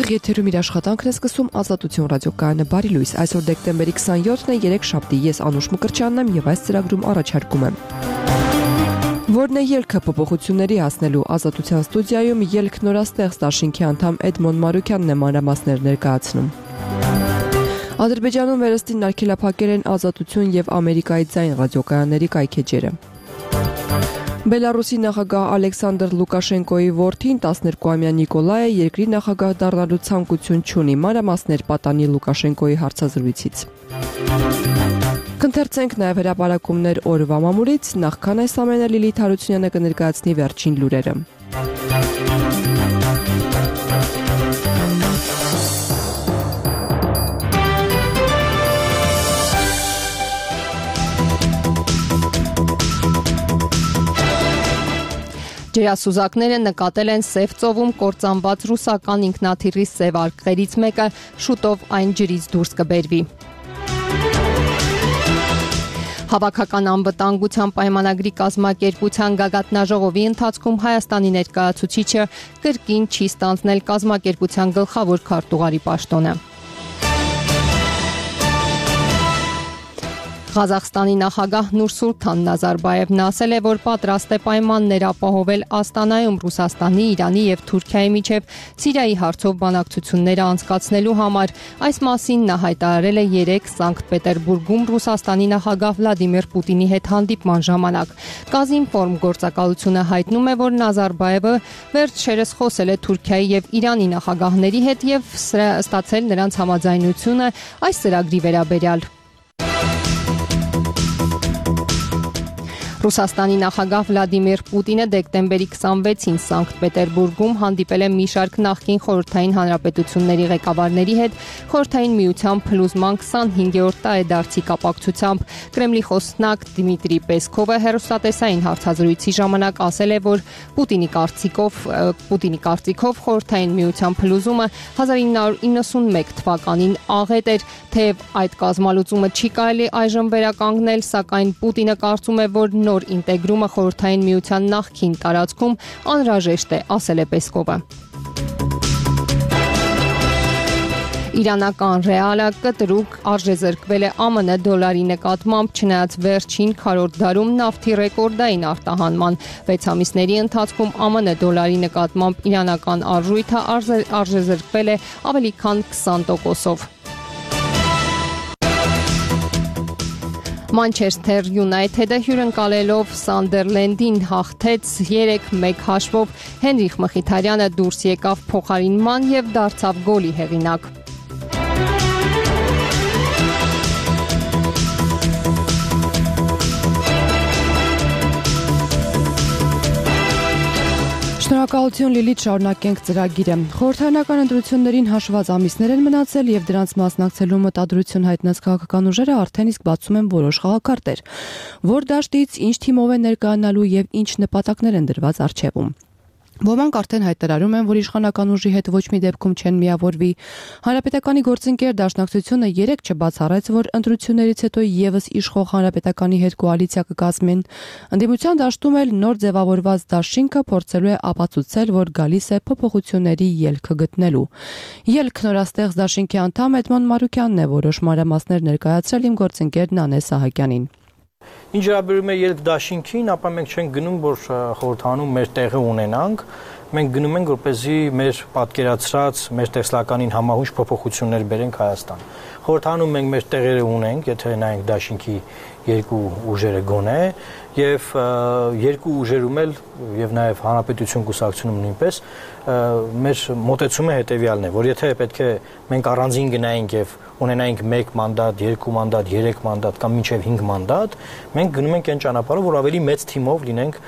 Ուղիղ եթերում իր աշխատանքն է սկսում Ազատություն ռադիոկայանը բարի լույս։ Այսօր դեկտեմբերի 27-ն է, 3 շաբթի, ես Անուշ Մկրտչյանն եմ եւ այս ծրագրում առաջարկում եմ. Որն է ելքը փոփոխությունների հասնելու Ազատության ստուդիայում ելք նորաստեղծ դաշինքի անդամ Էդմոն Մարուկյանն է մանրամասներ ներկայացնում։ Ադրբեջանում վերստին արգելափակել են Ազատություն եւ Ամերիկայի ձայն ռադիոկայանների կայքեջերը։ Բելարուսի նախագահ Ալեքսանդր Լուկաշենկոյի որդին 12-ամյա Նիկոլայը երկրի նախագահ դառնալու ցանկություն չունի, մանրամասներ պատանի Լուկաշենկոյի հարցազրույցից։ Կընթերցենք նաև հրապարակումներ օրվա մամուլից, նախքան այս ամենը Լիլիթ Հարությունյանը կներկայացնի վերջին լուրերը։ Ջրասուզակները նկատել են Սև ծովում կործանված ռուսական ինքնաթիռի սև արկղերից մեկը, շուտով այն ջրից դուրս կբերվի։ Հավաքական անվտանգության պայմանագրի կազմակերպության գագաթնաժողովի ընթացքում Հայաստանի ներկայացուցիչը կրկին չի ստանձնել կազմակերպության գլխավոր քարտուղարի պաշտոնը։ Ղազախստանի նախագահ Նուրսուլթան Նազարբաևն ասել է, որ պատրաստ է պայմաններ ապահովել Աստանայում Ռուսաստանի, Իրանի եւ Թուրքիայի միջև Սիրիայի հարցով բանակցություններ անցկացնելու համար։ Այս մասին նա հայտարարել է 3 Սանկտ Պետերբուրգում Ռուսաստանի նախագահ Վլադիմիր Պուտինի հետ հանդիպման ժամանակ։ Կազինֆորմ գործակալությունը հայտնում է, որ Նազարբաևը վերջերս խոսել է Թուրքիայի եւ Իրանի նախագահների հետ եւ ստացել նրանց համաձայնությունը այս ծրագրի վերաբերյալ։ Ռուսաստանի նախագահ Վլադիմիր Պուտինը դեկտեմբերի 26-ին Սանկտ Պետերբուրգում հանդիպել է մի շարք նախկին խորհրդային հանրապետությունների ղեկավարների հետ Խորհրդային միության փլուզման 25-րդ տարեդարձի կապակցությամբ։ Կրեմլի խոսնակ Դմիտրի Պեսկովը հեռուստատեսային հարցազրույցի ժամանակ ասել է, որ Պուտինի կարծիքով Խորհրդային միության փլուզումը 1991 թվականին աղետ էր, թեև այդ կազմալուծումը չի կարելի այժմ վերականգնել, սակայն Պուտինը կարծում է, որ նոր ինտեգրումը Խորհրդային միության նախկին տարածքում անհրաժեշտ է, ասել է Պեսկովը։ Իրանական ռեալը կտրուկ արժեզրկվել է ԱՄՆ դոլարի նկատմամբ, չնայած վերջին քառորդ դարում նավթի ռեկորդային արտահանման 6 ամիսների ընթացքում ԱՄՆ դոլարի նկատմամբ իրանական արժույթը արժեզրկվել է ավելի քան 20%-ով։ Մանչեսթեր Յունայթեդը հյուրընկալելով Սանդերլենդին հաղթեց 3-1 հաշվով, Հենրիխ Մխիթարյանը դուրս եկավ փոխարինման եւ դարձավ գոլի հեղինակ։ Շնորհակալություն Լիլիթ, շարունակենք ծրագիրը։ Խորհրդարանական ընտրություններին հաշված ամիսներ են մնացել եւ դրանց մասնակցելու մտադրություն հայտնած քաղաքական ուժերը արդեն իսկ բացում են որոշ խաղակարտեր, որ դաշտից ինչ թիմով են ներկայանալու եւ ինչ նպատակներ են դրված առջևում։ Ոմանք արդեն հայտարարում են, որ իշխանական ուժի հետ ոչ մի դեպքում չեն միավորվի։ Հանրապետականի գործընկեր դաշնակցությունը 3 չբացառեց, որ ընտրություններից հետո եւս իշխող Հանրապետականի հետ կոալիցիա կկազմեն։ Ընդդիմության դաշտում էլ նոր ձևավորված դաշինքը փորձելու է ապացուցել, որ գալիս է փոփոխությունների ելքը գտնելու։ Ելք նորաստեղծ դաշինքի անդամ Էդմոն Մարուկյանն է որոշ մանրամասներ ներկայացրել իմ գործընկեր Նանե Սահակյանին։ Ինչ վերաբերում է ելք դաշինքին, ապա մենք չենք գնում, որ խորհրդանում մեր տեղը ունենանք, մենք գնում ենք, որպեսզի մեր պատկերացրած, մեր տեսլականին համահունչ փոփոխություններ բերենք Հայաստան։ Խորհրդանում մենք մեր տեղերը ունենք, եթե նայենք դաշինքի երկու ուժերը գոնե, եւ երկու ուժերում էլ եւ նաեւ հանրապետություն կուսակցությունում նույնպես մեր մոտեցումը հետեւյալն է, որ եթե պետք է մենք առանձին գնայինք եւ ունենայինք 1 մանդատ, 2 մանդատ, 3 մանդատ կամ մինչև 5 մանդատ, մենք գնում ենք այն ճանապարհով, որ ավելի մեծ թիմով լինենք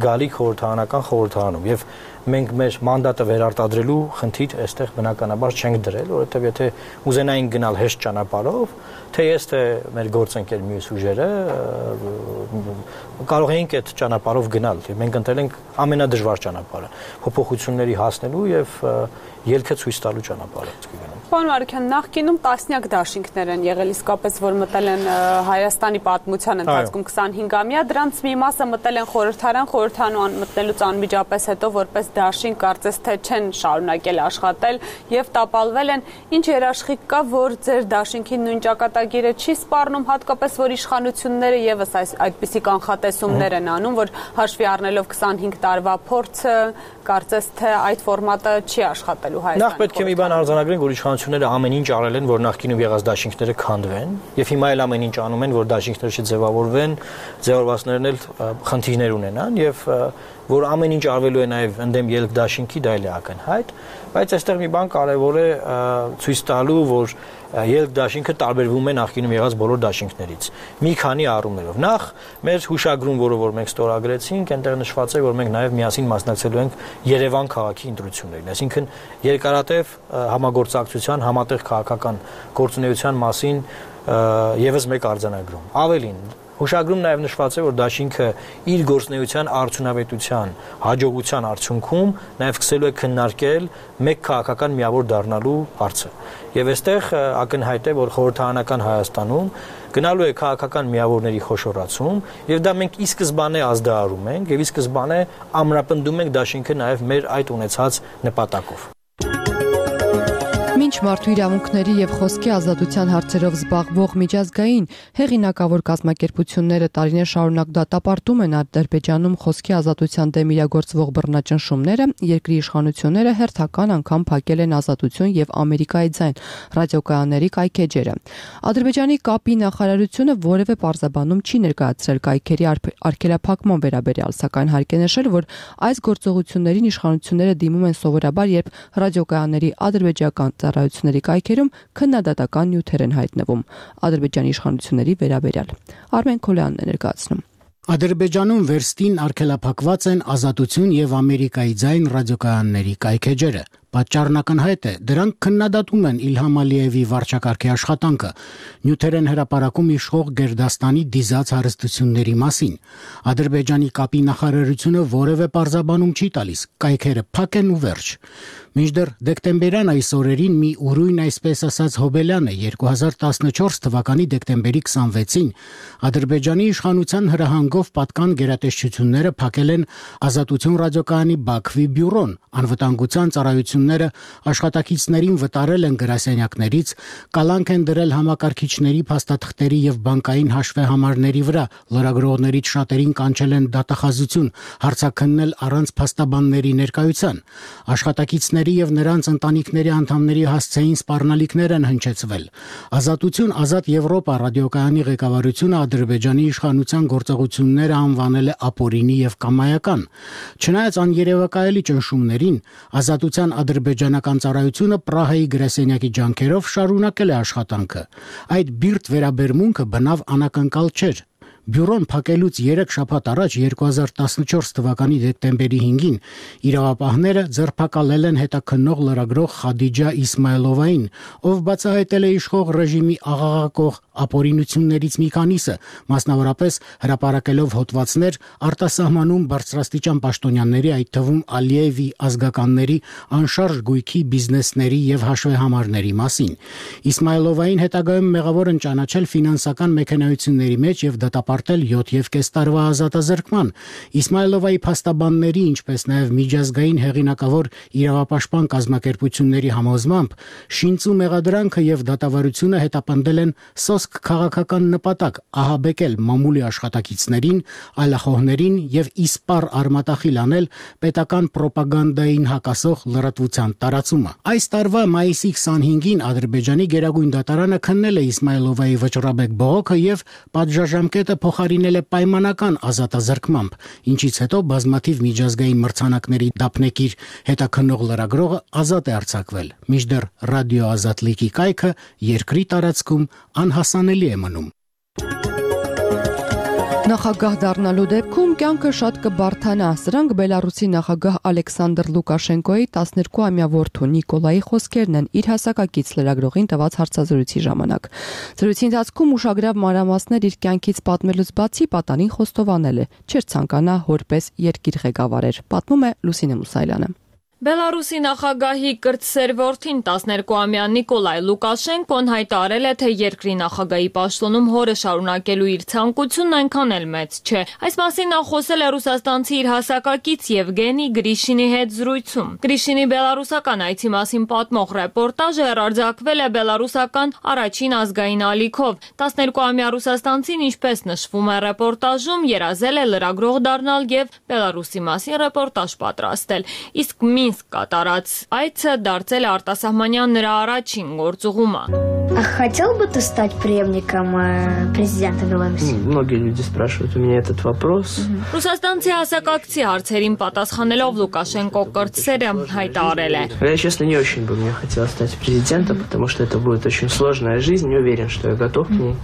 գալիք խորհրդարանական խորհրդարանում եւ մենք մեր մանդատը վերարտադրելու խնդիր այստեղ բնականաբար չենք դրել, որովհետեւ եթե ուզենայինք գնալ հեշտ ճանապարհով, թե ես թե մեր գործընկեր մյուս ուժերը, կարող էինք այդ ճանապարհով գնալ, մենք ընտրել ենք ամենադժվար ճանապարհը, փոփոխությունների հասնելու եւ ելքը ցույց տալու ճանապարհը։ Պարոն Մարուկյան, նախկինում տասնյակ դաշինքներ են եղել, իսկապես որ մտել են Հայաստանի պատմության ընթացքում 25-ամյա, դրանց մի մասը մտել են խորհրդարան մտնելուց անմիջապես հետո որպես դաշինք կարծես թե չեն շարունակել աշխատել եւ տապալվել են, ինչ երաշխիք կա, որ ձեր դաշինքի նույն ճակատագիրը չի սպառնում, հատկապես որ իշխանությունները եւս այդպիսի կանխատեսումներ են անում, որ հաշվի առնելով 25 տարվա փորձը, կարծես թե այդ ֆորմատը չի աշխատելու Հայաստանում։ Նախ պետք է մի բան արձանագրենք, որ իշխանությունները ամեն ինչ արել են, որ նախկինում եղած դաշինքները քանդվեն, եւ հիմա էլ ամեն ինչ անում են, որ դաշինքները չձևավորվեն, ձևավորվածներն էլ խնդիրներ ունենան եւ որ ամեն ինչ արվելու է նաև ընդդեմ ելք դաշինքի, դա էլ է ակնհայտ, բայց այստեղ մի բան կարևոր է ցույց տալու, որ ելք դաշինքը տարբերվում է նախկինում եղած բոլոր դաշինքներից մի քանի առումներով։ Նախ մեր հուշագրում, որը մենք ստորագրեցինք, այնտեղ նշված է, որ մենք նաև միասին մասնակցելու ենք Երևան քաղաքի ընտրություններին, այսինքն երկարատև համագործակցության, համատեղ քաղաքական գործունեության մասին եւս մեկ արձանագրում։ Ավելին, հուշագրում նաև նշված է, որ դաշինքը իր գործունեության արդյունավետության, հաջողության արդյունքում նաև սկսելու է քննարկել մեկ քաղաքական միավոր դառնալու հարցը։ Եվ այստեղ ակնհայտ է, որ խորհրդարանական Հայաստանում գնալու է քաղաքական միավորների խոշորացում, եւ դա մենք ի սկզբանե ազդարարում ենք, եւ ի սկզբանե ամրապնդում ենք դաշինքը նաև մեր այդ ունեցած նպատակով։ Մինչ մարդու իրավունքների եւ խոսքի ազատության հարցերով զբաղվող միջազգային հեղինակավոր կազմակերպությունները տարիներ շարունակ դատապարտում են Ադրբեջանում խոսքի ազատության դեմ իրագործվող բռնաճնշումները, երկրի իշխանությունները հերթական անգամ փակել են Ազատություն եւ Ամերիկայի ձայն ռադիոկայանների կայքեջերը։ Ադրբեջանի կապի նախարարությունը որևէ պարզաբանում չի ներկայացրել կայքերի արգելափակման վերաբերյալ, սակայն հարկ է նշել, որ այս գործողություններին իշխանությունները դիմում են սովորաբար, երբ ռադիոկայանների ադրբեջական ծառայությունների կայքերում քննադատական նյութեր են հայտնվում Ադրբեջանի իշխանությունների վերաբերյալ։ Արմեն Քոլյանն է ներկայացնում։ Ադրբեջանում վերստին արգելափակված են Ազատություն եւ Ամերիկայի ձայն ռադիոկայանների կայքեջերը։ Պատճառն ակնհայտ է, դրանք քննադատում են Իլհամ Ալիևի վարչակարգի աշխատանքը, նյութեր են հրապարակում իշխող Գերդաստանի դիզած հարստությունների մասին։ Ադրբեջանի կապի նախարարությունը որևէ պարզաբանում չի տալիս, կայքերը փակ են ու վերջ։ Մինչդեռ դեկտեմբերյան այս օրերին մի ուրույն, այսպես ասած, հոբելյանը 2014 թվականի դեկտեմբերի 26-ին Ադրբեջանի իշխանության հրահանգով պատկան գերատեսչությունները փակել են Ազատություն ռադիոկայանի Բաքվի բյուրոն, անվտանգության ծառայությունները աշխատակիցներին վտարել են գրասենյակներից, կալանք են դրել համակարգիչների, փաստաթղթերի եւ բանկային հաշվեհամարների վրա, լրագրողներից շատերին կանչել են դատախազություն, հարցաքննել առանց փաստաբանների ներկայության։ Աշխատակիցների եւ նրանց ընտանիքների անդամների հասցեին սպառնալիքներ են հնչեցվել։ Ազատություն ազատ Եվրոպա ռադիոկայանի ղեկավարությունը Ադրբեջանի իշխանության գործողությունները անվանել է ապօրինի եւ կամայական։ Չնայած աներևակայելի ճնշումներին, Ազատության ադրբեջանական ծառայությունը Պրահայի գրասենյակի ջանքերով շարունակել է աշխատանքը։ Այդ բիրտ վերաբերմունքը բնավ անակնկալ չէր։ Բյուրոն փակելուց 3 շաբաթ առաջ 2014 թվականի դեկտեմբերի 5-ին իրավապահները ձերբակալել են հետաքննող լրագրող Խադիջա Իսմայլովային, ով բացահայտել է իշխող ռեժիմի աղաղակող ապօրինություններից մի քանիսը, մասնավորապես հրապարակելով հոդվածներ արտասահմանում բարձրաստիճան պաշտոնյաների, այդ թվում Ալիևի ազգականների անշարժ գույքի բիզնեսների եւ հաշվեհամարների մասին։ Իսմայլովային հետագայում մեղավոր են ճանաչել ֆինանսական մեխանիզմների մեջ եւ դատապարտել 7.5 տարվա ազատազրկման։ Իսմայլովայի փաստաբանների, ինչպես նաեւ միջազգային հեղինակավոր իրավապաշտպան կազմակերպությունների համոզմամբ, շինծու մեղադրանքը եւ դատավարությունը հետապնդել են սոսկ քաղաքական նպատակ ահաբեկել մամուլի աշխատակիցներին, այլախոհներին եւ իսպառ արմատախիլ անել պետական ռոպագանդային հակասող լրատվության տարածումը։ Այս տարվա մայիսի 25-ին Ադրբեջանի գերագույն դատարանը քննել է Իսմայլովայի վճռաբեկ բողոքը եւ պատժաժամկետը փոխարինել է պայմանական ազատազրկմամբ, ինչից հետո բազմաթիվ միջազգային մրցանակների դափնեկիր հետաքննող լրագրողը ազատ է արձակվել։ Մինչդեռ ռադիո Ազատլիկի կայքը երկրի տարածքում անհասանելի է մնում։ Նախագահ դառնալու դեպքում կյանքը շատ կբարթանա։ Սրանք Բելարուսի նախագահ Ալեքսանդր Լուկաշենկոյի 12-ամյա որդու Նիկոլայի խոսքերն են իր հասակակից լրագրողին տված հարցազրույցի ժամանակ։ Զրույցի ընթացքում ուշագրավ մանրամասներ իր կյանքից պատմելուց բացի պատանին խոստովանել է, չէր ցանկանա որպես երկիր ղեկավարեր, պատմում է Լուսինե Մուսայելյանը։ Բելարուսի նախագահի կրտսեր որդին 12-ամյա Նիկոլայ Լուկաշենկոն հայտարարել է, թե երկրի նախագահի պաշտոնում հորը շարունակելու իր ցանկությունն այնքան էլ մեծ չէ։ Այս մասին նա խոսել է ռուսաստանցի իր հասակակից Եվգենի Գրիշինի հետ զրույցում։ Գրիշինի բելարուսական այցի մասին պատմող ռեպորտաժը հեռարձակվել է բելարուսական առաջին ազգային ալիքով։ 12-ամյա ռուսաստանցին, ինչպես նշվում է ռեպորտաժում, երազել է լրագրող դառնալ եւ Բելարուսի մասին ռեպորտաժ պատրաստել։ Իսկ Մինսկ կատարած այցը դարձել է արտասահմանյան նրա առաջին գործուղումը։ Хотел бы ты стать преемником президента Беларуси? Многие люди спрашивают у меня этот вопрос. Ռուսաստանցի հասակակցի հարցերին պատասխանելով Լուկաշենկո կրտսերը հայտարարել է. Я, честно, не очень бы мне хотелось стать президентом, потому что это будет очень сложная жизнь, не уверен, что я готов к ней.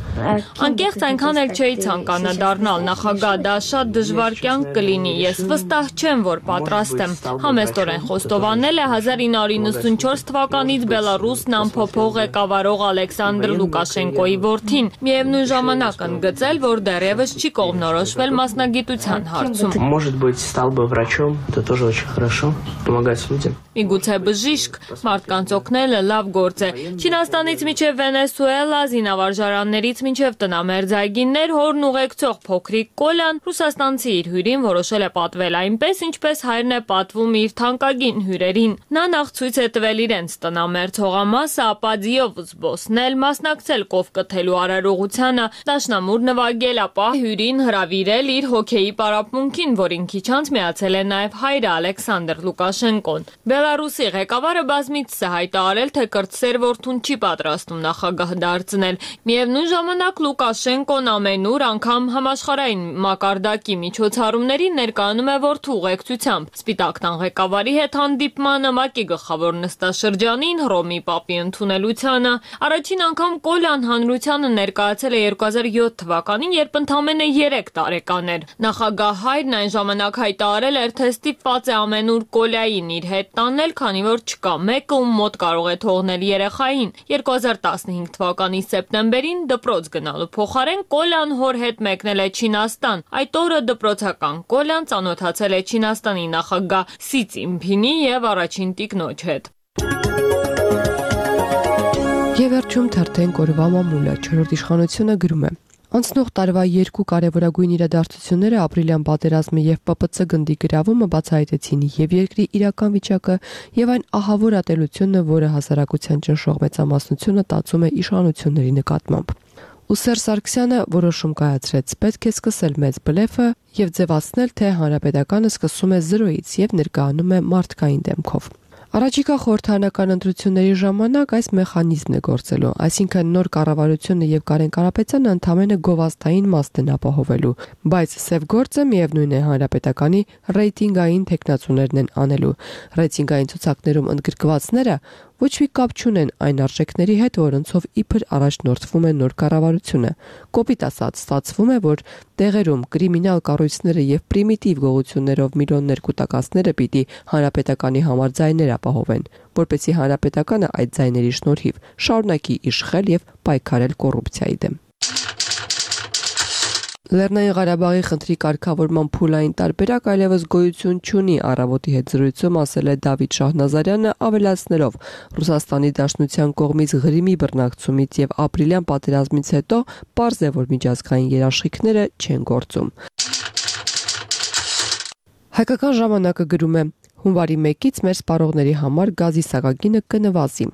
Անկեղծ այնքան էլ չէի ցանկանա դառնալ նախագահ, դա շատ դժվար կյանք կլինի, ես վստահ չեմ, որ պատրաստ եմ։ Համեստորեն խոստովանել է 1994 թվականից Բելարուսն անփոփոխ ղեկավարող Ալեքսանդր Լուկաշենկոյի որդին։ Միևնույն ժամանակ ընդգծել, որ դեռևս չի կողմնորոշվել մասնագիտության հարցում։ Может быть, стал бы врачом, это тоже очень хорошо, помогать людям. Միգուցե բժիշկ, մարդկանց օգնելը լավ գործ է։ Չինաստանից մինչև Վենեսուելա, զինավարժարաններից մինչև տնամերձ այգիներ հորն ուղեկցող փոքրիկ Կոլյան ռուսաստանցի իր հյուրին որոշել է պատվել այնպես, ինչպես հայրն է պատվում իր թանկագին հյուրերին։ Նա նախ ցույց է տվել իրենց տնամերձ հողամասը, ապա ձիով զբոսնել, մասնակցել կով կթելու արարողությանը, դաշնամուր նվագել, ապա հյուրին հրավիրել իր հոքեյի պարապմունքին, որին քիչ անց միացել է նաև հայրը Ալեքսանդր Լուկաշենկոն։ Բելարուսի ղեկավարը բազմիցս է հայտարարել, թե կրտսեր որդուն չի պատրաստում նախագահ դարձնել։ Միևնույն ժամանակ Լուկաշենկոն ամենուր անգամ համաշխարհային մակարդակի միջոցառումներին ներկայանում է որդու ուղեկցությամբ։ Սպիտակ տան ղեկավարի հետ հանդիպմանը, ՄԱԿ-ի գլխավոր նստաշրջանին, Հռոմի Պապի ընդունելությանը։ Առաջին անգամ Կոլյան հանրությանը ներկայացել է 2007 թվականին, երբ ընդամենը 3 տարեկան էր։ Նախագահ հայրն այն ժամանակ հայտարարել էր, թե ստիպված է ամենուր Կոլյային իր հետ տանել, քանի որ չկա մեկը, ում մոտ կարող է թողնել երեխային։ 2015 թվականի սեպտեմբերին դպրոց գնալու փոխարեն Կոլյան հոր հետ մեկնել է Չինաստան։ Այդ օրը դպրոցական Կոլյան ծանոթացել է Չինաստանի նախագահ Սի Ցզինփինի եւ առաջին տիկնոջ հետ։ Եվ վերջում թերթենք օրվա մամուլը, 4-րդ իշխանությունը գրում է. Անցնող տարվա երկու կարևորագույն իրադարձությունները ապրիլյան պատերազմը եւ ՊՊՑ գնդի գրավումը բացահայտեցին եւ երկրի իրական վիճակը եւ այն ահավոր ատելությունը, որը հասարակության ճնշող մեծամասնությունը տածում է իշխանությունների նկատմամբ։ Ու Սերժ Սարգսյանը որոշում կայացրեց, պետք է սկսել մեծ բլեֆը եւ ձևացնել, թե հանրապետականը սկսում է 0-ից եւ ներկայանում է մարդկային դեմքով։ Առաջիկա խորհրդարանական ընտրությունների ժամանակ այս մեխանիզմն է գործելու, այսինքն նոր կառավարությունը եւ Կարեն Կարապետյանը ընդամենը գովազդային մասն են ապահովելու, բայց սև գործը միևնույն է հանրապետականի ռեյտինգային տեխնացուներն են անելու։ Ռեյտինգային ցուցակներում ընդգրկվածները ոչ մի կապ չունեն այն արժեքների հետ, որոնցով իբր առաջնորդվում է նոր կառավարությունը։ Կոպիտ ասած, ստացվում է, որ տեղերում կրիմինալ կառույցները եւ պրիմիտիվ գողություններով միլիոններ կուտակածները պիտի հանրապետականի համար ձայներ ապահովեն, որպեսզի հանրապետականը այդ ձայների շնորհիվ շարունակի իշխել եւ պայքարել կոռուպցիայի դեմ։ Լեռնային Ղարաբաղի խնդրի կարգավորման փուլային տարբերակ այլևս գոյություն չունի, առավոտի հետ զրույցում ասել է Դավիթ Շահնազարյանը, ավելացնելով Ռուսաստանի Դաշնության կողմից Ղրիմի բռնակցումից եւ ապրիլյան պատերազմից հետո պարզ է, որ միջազգային երաշխիքները չեն գործում։ Հայկական ժամանակը գրում է. հունվարի 1-ից մեր սպառողների համար գազի սակագինը կնվազի։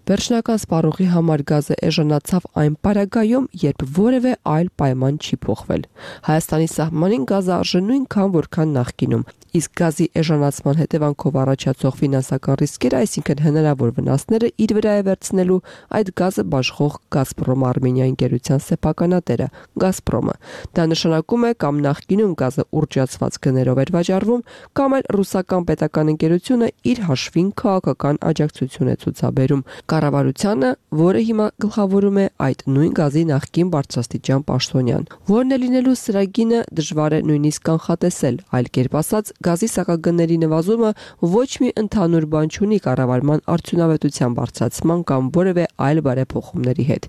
Վերջնական սպառողի համար գազը էժանացավ այն պարագայում, երբ որևէ այլ պայման չի փոխվել։ Հայաստանի սահմանին գազը արժե նույնքան, որքան նախկինում, իսկ գազի էժանացման հետևանքով առաջացող ֆինանսական ռիսկերը, այսինքն հնարավոր վնասները իր վրա է վերցնելու այդ գազը բաշխող Գազպրոմ Արմենիա ընկերության սեփականատերը Գազպրոմը։ Դա նշանակում է կամ նախկինում գազը ուռճացված գներով էր վաճառվում, կամ էլ ռուսական պետական ընկերությունը իր հաշվին քաղաքական աջակցություն է ցուցաբերում, կառավարությանը, որը հիմա գլխավորում է այդ նույն գազի նախկին բարձրաստիճան պաշտոնյան։ Որն է լինելու սրագինը դժվար է նույնիսկ կանխատեսել, այլ կերպ ասած, գազի սակագների նվազումը ոչ մի ընդհանուր բան չունի կառավարման արդյունավետության բարձրացման կամ որևէ այլ բարեփոխումների հետ։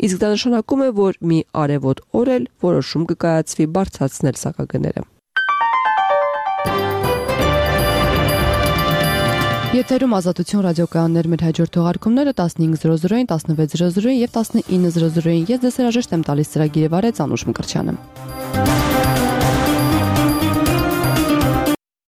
Իսկ դա նշանակում է, որ մի արևոտ օր էլ որոշում կկայացվի բարձրացնել սակագները։ Եթերում Ազատություն ռադիոկայաններ մեր հաջորդ թողարկումները 15:00-ին, 16:00-ին եւ 19:00-ին։ Ես դες հրաժեշտ եմ տալիս ծրագիրը վարեց Անուշ Մկրտչյանը։